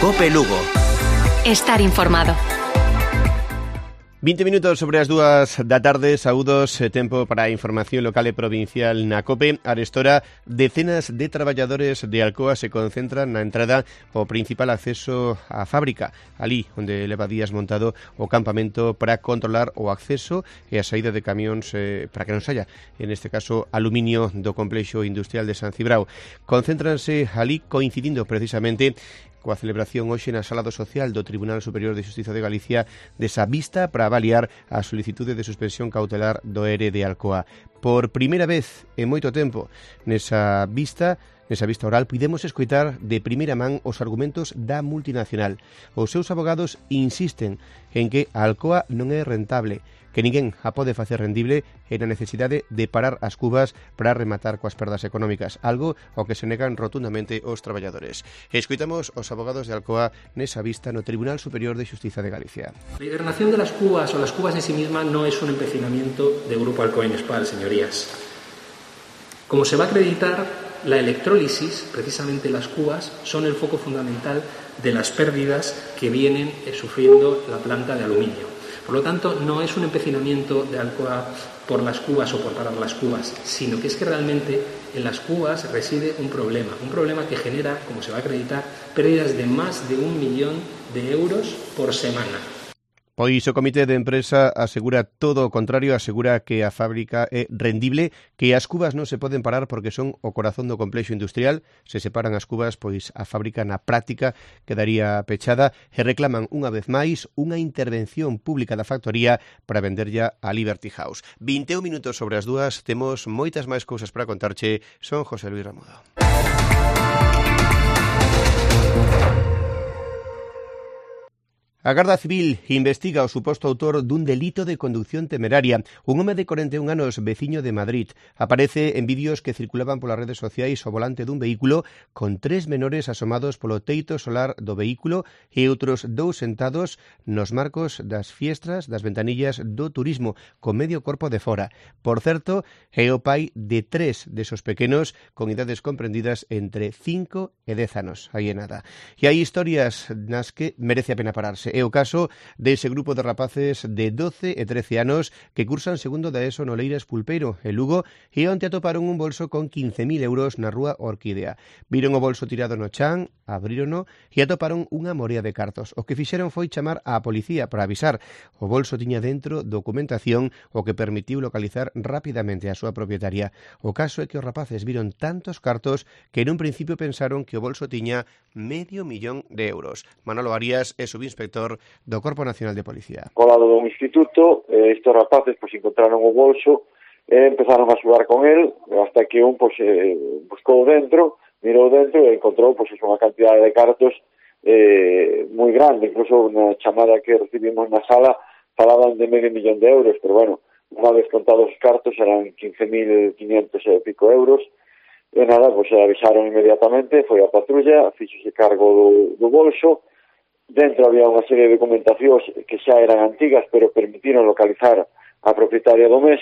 Cope Lugo. Estar informado. 20 minutos sobre as 2 da tarde, saúdos, tempo para a información local e provincial na COPE. Arestora, decenas de traballadores de Alcoa se concentran na entrada ao principal acceso á fábrica, ali onde leva días montado o campamento para controlar o acceso e a saída de camións para que non saia, en este caso, aluminio do complexo industrial de San Cibrao. Concéntranse ali coincidindo precisamente coa celebración hoxe na Sala do Social do Tribunal Superior de Xustiza de Galicia desa vista para avaliar a solicitude de suspensión cautelar do ERE de Alcoa. Por primeira vez en moito tempo nesa vista oral podemos escoitar de primeira man os argumentos da multinacional. Os seus abogados insisten en que a Alcoa non é rentable, que ninguén a pode facer rendible e na necesidade de parar as cubas para rematar coas perdas económicas, algo ao que se negan rotundamente os traballadores. Escoitamos os abogados de Alcoa nesa vista no Tribunal Superior de Xustiza de Galicia. La hibernación de las cubas o las cubas en sí misma no es un empecinamiento de Grupo Alcoa Inespal, señorías. Como se va a acreditar, la electrólisis, precisamente las cubas, son el foco fundamental de las pérdidas que vienen sufriendo la planta de aluminio. Por lo tanto, no es un empecinamiento de Alcoa por las cubas o por parar las cubas, sino que es que realmente en las cubas reside un problema que genera, como se va a acreditar, pérdidas de más de 1 millón de euros por semana. Pois o Comité de Empresa asegura todo o contrario, asegura que a fábrica é rendible, que as cubas non se poden parar porque son o corazón do complexo industrial. Se separan as cubas, pois a fábrica na práctica quedaría pechada e reclaman unha vez máis unha intervención pública da factoría para venderlla a Liberty House. 21 minutos sobre as 2, temos moitas máis cousas para contarche. Son José Luis Ramudo. A Garda Civil investiga o suposto autor dun delito de conducción temeraria. Un home de 41 anos, veciño de Madrid, aparece en vídeos que circulaban polas redes sociais ao volante dun vehículo con 3 menores asomados polo teito solar do vehículo e outros 2 sentados nos marcos das fiestras das ventanillas do turismo, con medio corpo de fora. Por certo, é o pai de 3 desos pequenos con idades comprendidas entre 5 e 10 anos. Aí é nada. E hai historias nas que merece a pena pararse. É o caso dese grupo de rapaces de 12 e 13 anos que cursan segundo da ESO no Leiras Pulpeiro, en Lugo, e onte atoparon un bolso con 15.000 euros na rúa Orquídea. Viron o bolso tirado no chan, abrírono e atoparon unha morea de cartos. O que fixeron foi chamar á policía para avisar. O bolso tiña dentro documentación o que permitiu localizar rapidamente a súa propietaria. O caso é que os rapaces viron tantos cartos que en un principio pensaron que o bolso tiña medio millón de euros. Manolo Arias é subinspector do Corpo Nacional de Policía. Colado dun instituto, estes rapaces encontraron o bolso e empezaron a xogar con el hasta que un buscou dentro, mirou dentro e encontrou unha cantidade de cartos moi grande. Incluso na chamada que recibimos na sala falaban de medio millón de euros, pero bueno, unha vez contados os cartos eran 15.500 e pico euros. E nada, avisaron inmediatamente, foi a patrulla, fixose cargo do bolso. Dentro había unha serie de documentacións que xa eran antigas, pero permitiron localizar a propietaria do mes,